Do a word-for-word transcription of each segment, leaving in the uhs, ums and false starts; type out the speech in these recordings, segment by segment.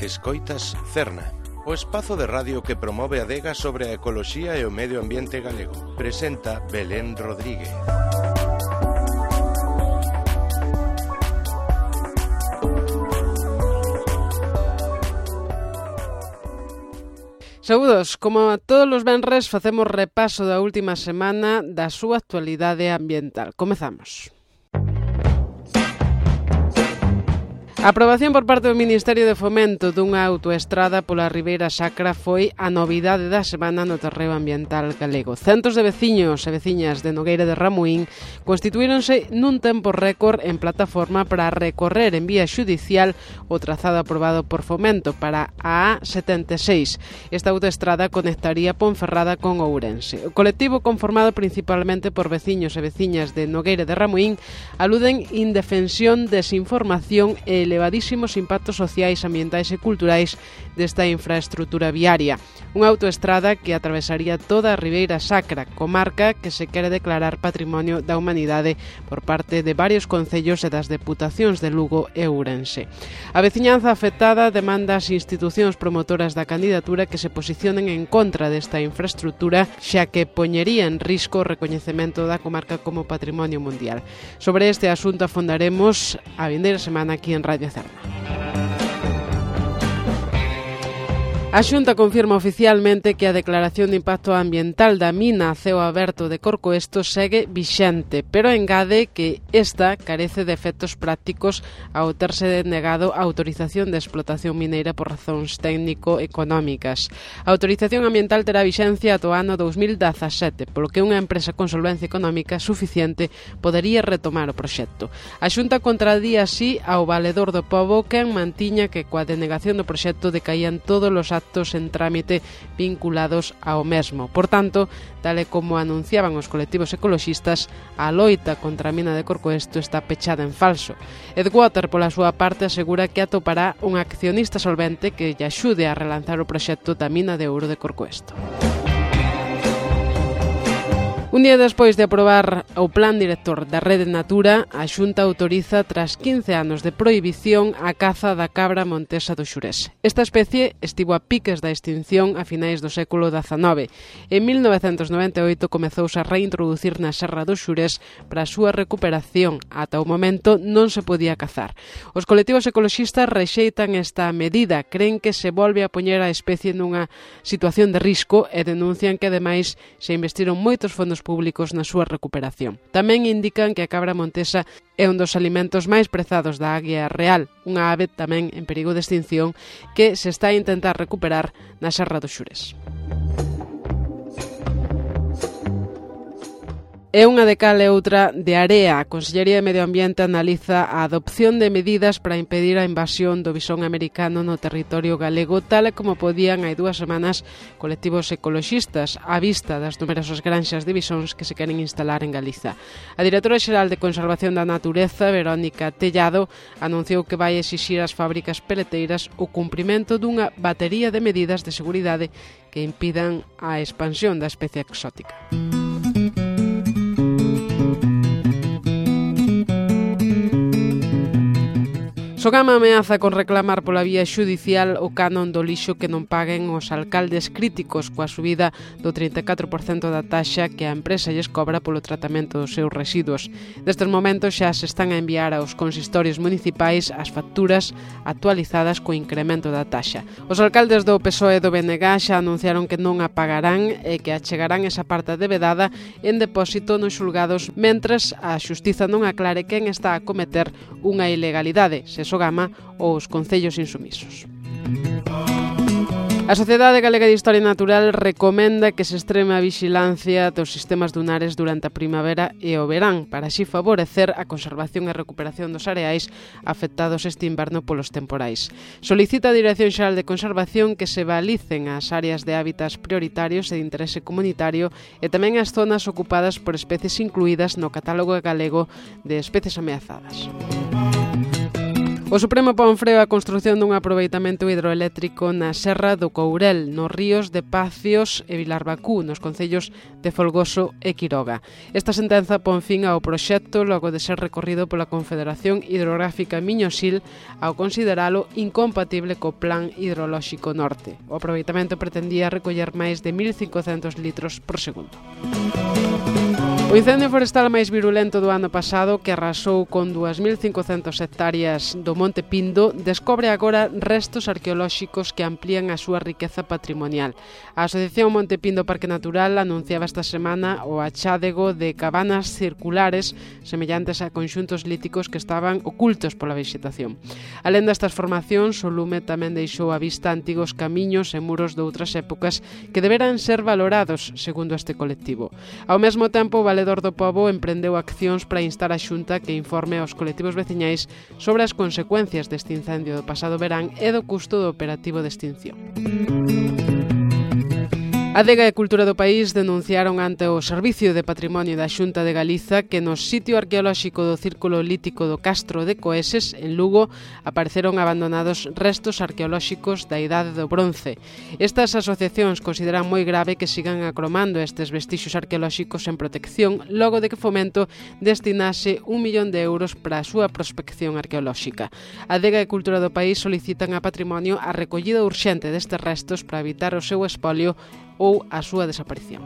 Escoitas Cerna, o espazo de radio que promove a adega sobre a ecoloxía e o medio ambiente galego. Presenta Belén Rodríguez. Saúdos, como todos os venres facemos repaso da última semana da súa actualidade ambiental. Comezamos. A aprobación por parte do Ministerio de Fomento dunha autoestrada pola Ribeira Sacra foi a novidade da semana no terreo ambiental galego. Centos de veciños e veciñas de Nogueira de Ramuín constituíronse nun tempo récord en plataforma para recorrer en vía xudicial o trazado aprobado por Fomento para a A setenta e seis. Esta autoestrada conectaría Ponferrada con Ourense. O colectivo, conformado principalmente por veciños e veciñas de Nogueira de Ramuín, aluden indefensión, desinformación e elevadísimos impactos sociais, ambientais e culturais desta infraestrutura viaria. Unha autoestrada que atravesaría toda a Ribeira Sacra, comarca que se quere declarar Patrimonio da Humanidade por parte de varios concellos e das deputacións de Lugo e Ourense. A veciñanza afectada demanda ás institucións promotoras da candidatura que se posicionen en contra desta infraestrutura, xa que poñería en risco o recoñecemento da comarca como Patrimonio Mundial. Sobre este asunto afondaremos a vindeira semana aquí en Radio Cerna. A Xunta confirma oficialmente que a declaración de impacto ambiental da mina a ceo aberto de Corcoesto segue vixente, pero engade que esta carece de efectos prácticos ao terse denegado a autorización de explotación mineira por razóns técnico-económicas. A autorización ambiental terá vixencia ata o ano dous mil dezasete, polo que unha empresa con solvencia económica suficiente podería retomar o proxecto. A Xunta contradía así ao Valedor do Pobo, quen mantiña que coa denegación do proxecto decaían todos os actos en trámite vinculados ao mesmo. Por tanto, tal e como anunciaban os colectivos ecoloxistas, a loita contra a mina de Corcoesto está pechada en falso. Edgewater, pola súa parte, asegura que atopará un accionista solvente que lle axude a relanzar o proxecto da mina de ouro de Corcoesto. Un día despois de aprobar o Plan Director da Rede Natura, a Xunta autoriza, tras quince anos de prohibición, a caza da cabra montesa do Xurés. Esta especie estivo a piques da extinción a finais do século dezanove. En mil novecentos noventa e oito comezouse a reintroducir na Serra do Xurés para a súa recuperación. Ata o momento non se podía cazar. Os colectivos ecoloxistas rexeitan esta medida, creen que se volve a poñer a especie nunha situación de risco e denuncian que, ademais, se investiron moitos fondos públicos na súa recuperación. Tamén indican que a cabra montesa é un dos alimentos máis prezados da águia real, unha ave tamén en perigo de extinción que se está a intentar recuperar na Serra do Xurés. É unha de cal e outra de area. A Consellería de Medio Ambiente analiza a adopción de medidas para impedir a invasión do bisón americano no territorio galego, tal e como podían hai dúas semanas colectivos ecoloxistas á vista das numerosas granxas de bisóns que se queren instalar en Galiza. A directora xeral de Conservación da Natureza, Verónica Tellado, anunciou que vai exixir ás fábricas peleteiras o cumprimento dunha batería de medidas de seguridade que impidan a expansión da especie exótica. Sogama ameaza con reclamar pola vía xudicial o canon do lixo que non paguen os alcaldes críticos coa subida do trinta e catro por cento da taxa que a empresa lles cobra polo tratamento dos seus residuos. Destes momentos xa se están a enviar aos consistorios municipais as facturas actualizadas co incremento da taxa. Os alcaldes do P S O E e do B N G xa anunciaron que non a pagarán e que achegarán esa parte debedada en depósito nos xulgados mentres a xustiza non aclare quen está a cometer unha ilegalidade, se Sogama ou os concellos insumisos. A Sociedade Galega de Historia Natural recomenda que se extreme a vixilancia dos sistemas dunares durante a primavera e o verán para así favorecer a conservación e recuperación dos areais afectados este inverno polos temporais. Solicita a Dirección Xeral de Conservación que se balicen as áreas de hábitats prioritarios e de interese comunitario e tamén as zonas ocupadas por especies incluídas no catálogo galego de especies ameazadas. O Supremo pon freo á construción dun aproveitamento hidroeléctrico na Serra do Courel, nos ríos de Pacios e Vilarbacú, nos concellos de Folgoso e Quiroga. Esta sentenza pon fin ao proxecto logo de ser recorrido pola Confederación Hidrográfica Miño-Sil ao consideralo incompatible co Plan Hidrolóxico Norte. O aproveitamento pretendía recoller máis de mil cincocentos litros por segundo. O incendio forestal máis virulento do ano pasado, que arrasou con dúas mil cincocentas hectáreas do Monte Pindo, descobre agora restos arqueolóxicos que amplían a súa riqueza patrimonial. A Asociación Monte Pindo Parque Natural anunciaba esta semana o achádego de cabanas circulares semellantes a conxuntos líticos que estaban ocultos pola vexetación. Alén destas formacións, o lume tamén deixou á vista antigos camiños e muros de outras épocas que deberan ser valorados, segundo este colectivo. Ao mesmo tempo, o Valedor do Pobo emprendeu accións para instar a Xunta que informe aos colectivos veciñais sobre as consecuencias deste incendio do pasado verán e do custo do operativo de extinción. A Adega e Cultura do País denunciaron ante o Servicio de Patrimonio da Xunta de Galiza que no sitio arqueolóxico do Círculo Lítico do Castro de Coeses, en Lugo, apareceron abandonados restos arqueolóxicos da Idade do Bronce. Estas asociacións consideran moi grave que sigan acromando estes vestixios arqueolóxicos en protección logo de que Fomento destinase un millón de euros para a súa prospección arqueolóxica. A Adega e Cultura do País solicitan a Patrimonio a recollida urxente destes restos para evitar o seu espolio ou a súa desaparición.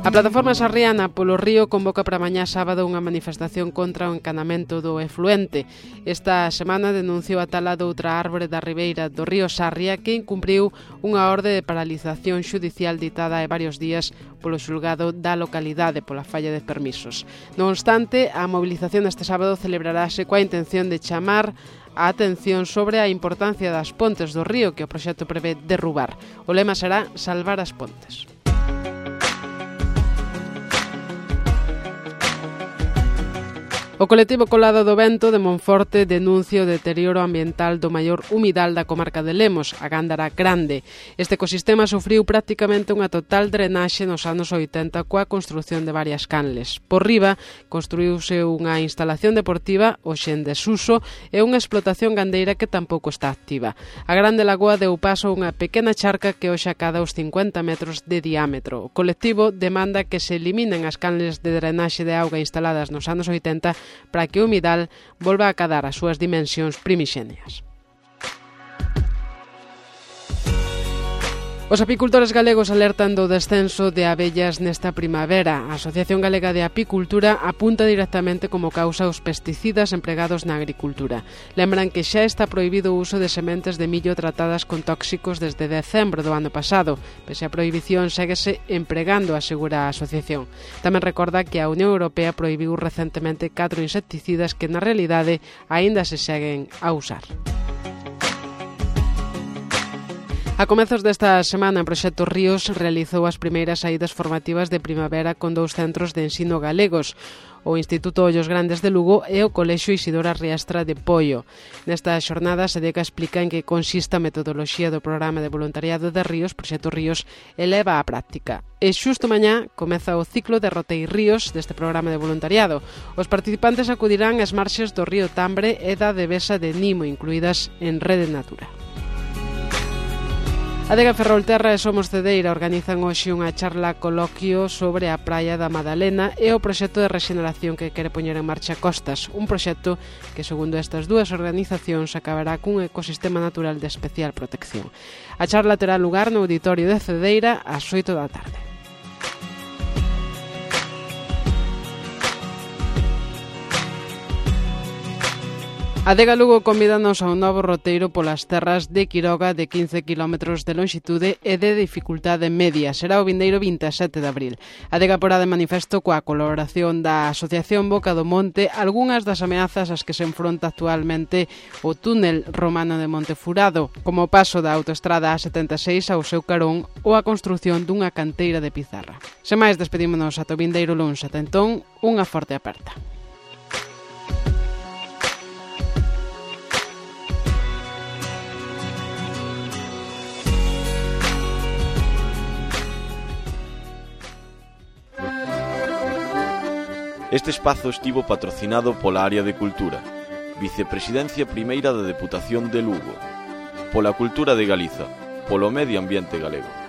A plataforma Sarriana polo Río convoca para mañá sábado unha manifestación contra o encanamento do efluente. Esta semana denunciou a tala doutra árbore da ribeira do río Sarria que incumpriu unha orde de paralización xudicial ditada hai varios días polo xulgado da localidade pola falla de permisos. Non obstante, a mobilización deste sábado celebrarase coa intención de chamar a atención sobre a importancia das pontes do río que o proxecto prevé derrubar. O lema será salvar as pontes. O colectivo Colado do Vento de Monforte denuncia o deterioro ambiental do maior humidal da comarca de Lemos, a Gándara Grande. Este ecosistema sufriu prácticamente unha total drenaxe nos anos oitenta coa construción de varias canles. Por riba, construíuse unha instalación deportiva, hoxe en desuso, e unha explotación gandeira que tampouco está activa. A Grande Lagoa deu paso a unha pequena charca que hoxe acada os cincuenta metros de diámetro. O colectivo demanda que se eliminen as canles de drenaxe de auga instaladas nos anos oitenta para que o humidal volva a acadar as súas dimensións primixenias. Os apicultores galegos alertan do descenso de abellas nesta primavera. A Asociación Galega de Apicultura apunta directamente como causa os pesticidas empregados na agricultura. Lembran que xa está prohibido o uso de sementes de millo tratadas con tóxicos desde decembro do ano pasado. Pese a prohibición, séguese empregando, asegura a asociación. Tamén recorda que a Unión Europea prohibiu recentemente catro insecticidas que na realidade aínda se seguen a usar. A comezos desta semana, en Proxecto Ríos realizou as primeiras saídas formativas de primavera con dous centros de ensino galegos, o Instituto Ollos Grandes de Lugo e o Colexio Isidora Riestra de Poio. Nesta xornada, Sedeca explica en que consiste a metodoloxía do programa de voluntariado de Ríos, Proxecto Ríos, eleva á práctica. E xusto mañá comeza o ciclo de Rotei Ríos deste programa de voluntariado. Os participantes acudirán ás marxes do río Tambre e da Devesa de Nimo, incluídas en Rede Natura. Adega Ferrolterra e Somos Cedeira organizan hoxe unha charla coloquio sobre a praia da Madalena e o proxecto de rexeneración que quere poñer en marcha Costas, un proxecto que, segundo estas dúas organizacións, acabará cun ecosistema natural de especial protección. A charla terá lugar no auditorio de Cedeira ás oito da tarde. Adega Lugo convídanos a un novo roteiro polas terras de Quiroga de quince kilómetros de lonxitude e de dificultade media. Será o vindeiro vinte e sete de abril. Adega porá de manifesto coa colaboración da Asociación Boca do Monte algunhas das ameazas ás que se enfronta actualmente o túnel romano de Montefurado, como o paso da autoestrada A setenta e seis ao seu carón ou a construción dunha canteira de pizarra. Sen máis, despedímonos ata o vindeiro luns. Ata entón, unha forte aperta. Este espazo estivo patrocinado pola área de Cultura, Vicepresidencia Primeira da Deputación de Lugo, pola Cultura de Galiza, polo Medio Ambiente Galego.